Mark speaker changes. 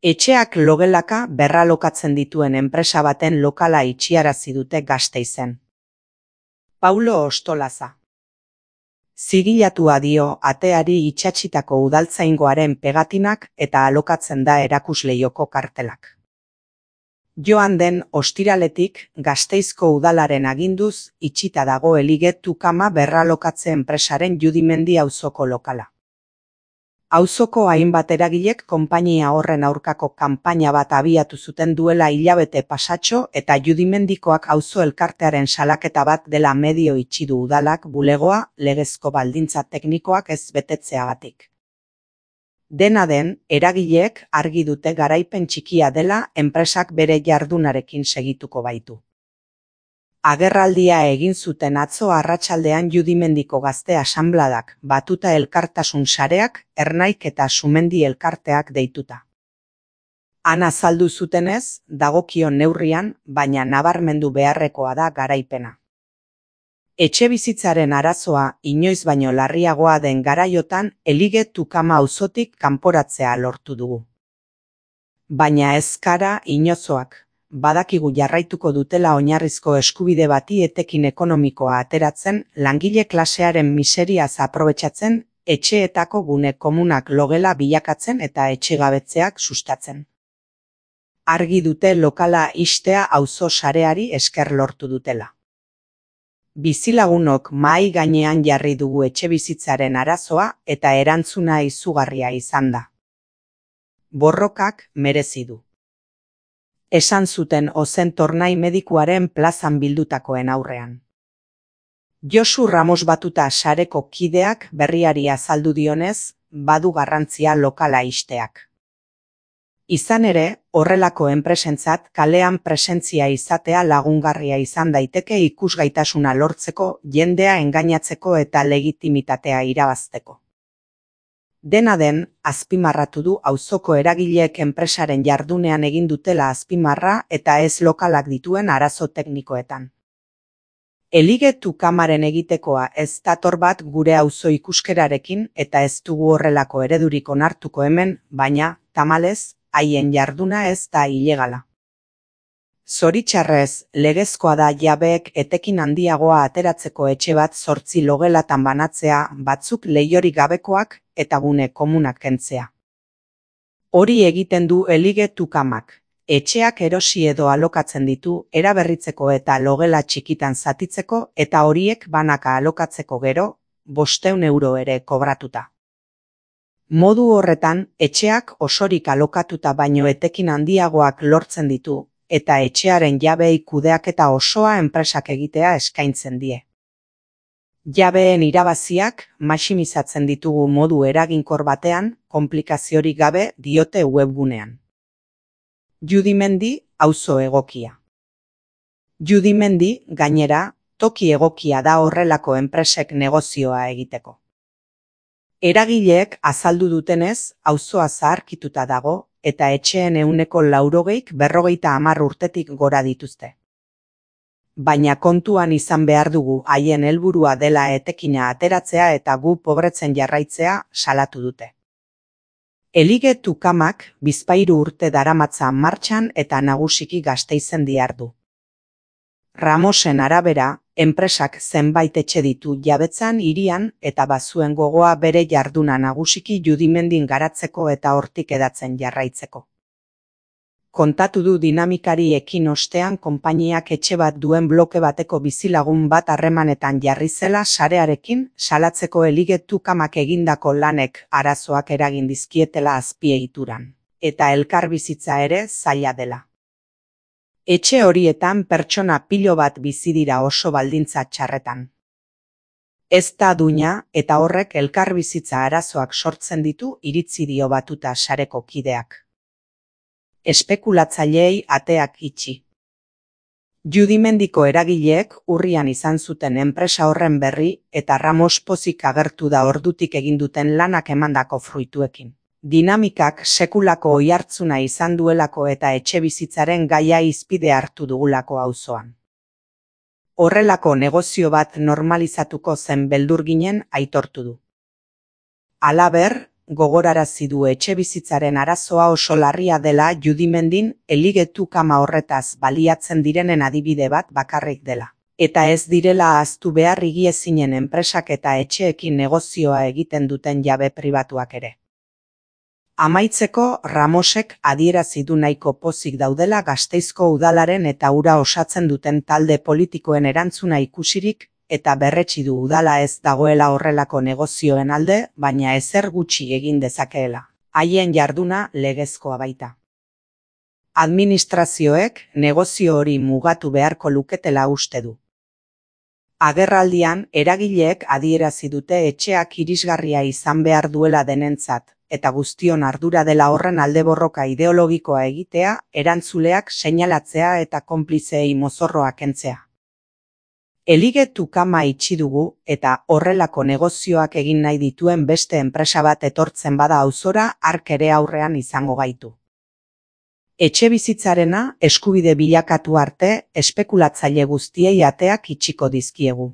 Speaker 1: Etxeak logelaka berralokatzen dituen enpresa baten lokala itxiarazi dute Gasteizen. Paulo Ostolaza. Zigilatua dio ateari itsatsitako udaltzaingoaren pegatinak eta alokatzen da erakusleioko kartelak. Joan den ostiraletik Gasteizko udalaren aginduz itxita dago Eligetu kama berralokatze enpresaren Judimendi auzoko lokala. Auzoko hainbat eragilek konpainia horren aurkako kanpaina bat abiatu zuten duela hilabete pasatxo eta Judimendikoak auzo elkartearen salaketa bat dela medio itxi du udalak bulegoa legezko baldintza teknikoak ez betetzeagatik. Dena den, eragileek argi dute garaipen txikia dela enpresak bere jardunarekin segituko baitu. Agerraldia egin zuten atzo arratsaldean Judimendiko gazte asanbladak, Batuta elkartasun sareak, Ernaik eta Sumendi elkarteak deituta. Han azaldu zutenez, dagokion neurrian, baina nabarmendu beharrekoa da garaipena. Etxebizitzaren arazoa inoiz baino larriagoa den garaiotan Eligetu kama auzotik kanporatzea lortu dugu. Baina ez gara inozoak. Badakigu jarraituko dutela oinarrizko eskubide bati etekin ekonomikoa ateratzen, langile klasearen miseriaz aprobetxatzen, etxeetako gune komunak logela bilakatzen eta etxegabetzeak sustatzen. Argi dute lokala ixtea auzo sareari esker lortu dutela. Bizilagunok mahai gainean jarri dugu etxebizitzaren arazoa eta erantzuna izugarria izan da. Borrokak merezi du. Esan zuten Ozen Tornai medikuaren plazan bildutakoen aurrean. Josu Ramos Batuta sareko kideak berriari azaldu dionez, badu garrantzia lokala ixteak. Izan ere, horrelako enpresentzat kalean presentzia izatea lagungarria izan daiteke ikusgaitasuna lortzeko, jendea engainatzeko eta legitimitatea irabazteko. Dena den, azpimarratu du auzoko eragileek enpresaren jardunean egin dutela azpimarra eta ez lokalak dituen arazo teknikoetan. Eligetu kamaren egitekoa ez dator bat gure auzo ikuskerarekin eta ez dugu horrelako eredurik onartuko hemen, baina, tamalez, haien jarduna ez da ilegala. Zoritxarrez, legezkoa da jabeek etekin handiagoa ateratzeko etxe bat 8 logelatan banatzea, batzuk leihorik gabekoak eta gune komunak kentzea. Hori egiten du Eligetu kamak. Etxeak erosi edo alokatzen ditu, eraberritzeko eta logela txikitan zatitzeko eta horiek banaka alokatzeko gero, 500 euro ere kobratuta. Modu horretan, etxeak osorik alokatuta baino etekin handiagoak lortzen ditu, eta etxearen jabei kudeaketa osoa enpresak egitea eskaintzen die. Jabeen irabaziak maximizatzen ditugu modu eraginkor batean, konplikaziorik gabe diote webgunean. Judimendi, auzo egokia. Judimendi, gainera, toki egokia da horrelako enpresek negozioa egiteko. Eragileek azaldu dutenez, auzoa zaharkituta dago, eta etxeen 40% urtetik gora dituzte. Baina kontuan izan behar dugu haien helburua dela etekina ateratzea eta gu pobretzen jarraitzea salatu dute. Eligetu kamak 13 urte daramatza martxan eta nagusiki Gasteizen dihardu. Ramosen arabera, enpresak zenbait etxe ditu jabetzan hirian eta bazuen gogoa bere jarduna nagusiki Judimendin garatzeko eta hortik edatzen jarraitzeko. Kontatu du dinamikari ekin ostean konpainiak etxe bat duen bloke bateko bizilagun bat harremanetan jarri zela sarearekin salatzeko Eligetu kamak egindako lanek arazoak eragin dizkietela azpiegituran, eta elkarbizitza ere zaila dela. Etxe horietan pertsona pilo bat bizi dira oso baldintza txarretan. Ez da duina eta horrek elkarbizitza arazoak sortzen ditu iritzi dio Batuta sareko kideak. Espekulatzaileei ateak itxi. Judimendiko eragileek urrian izan zuten enpresa horren berri eta Ramos pozik agertu da ordutik egin duten lanak emandako fruituekin. Dinamikak sekulako oihartzuna izan duelako eta etxebizitzaren gaia hizpide hartu dugulako auzoan. Horrelako negozio bat normalizatuko zen beldur ginen aitortu du. Halaber, gogorarazi du etxebizitzaren arazoa oso larria dela Judimendin eligetu kama horretaz baliatzen direnen adibide bat bakarrik dela. Eta ez direla ahaztu behar higiezinen enpresak eta etxeekin negozioa egiten duten jabe pribatuak ere. Amaitzeko, Ramosek adierazi du nahiko pozik daudela Gasteizko udalaren eta hura osatzen duten talde politikoen erantzuna ikusirik, eta berretsi du udala ez dagoela horrelako negozioen alde, baina ezer gutxi egin dezakeela. Haien jarduna legezkoa baita. Administrazioek negozio hori mugatu beharko luketela uste du. Agerraldian, eragileek adierazi dute etxeak irisgarria izan behar duela denentzat, eta guztion ardura dela horren alde borroka ideologikoa egitea, erantzuleak seinalatzea eta konplizeei mozorroa kentzea. Eligetu kama itxi dugu eta horrelako negozioak egin nahi dituen beste enpresa bat etortzen bada auzora hark ere aurrean izango gaitu. Etxebizitzarena eskubide bilakatu arte, espekulatzaile guztiei ateak itxiko dizkiegu.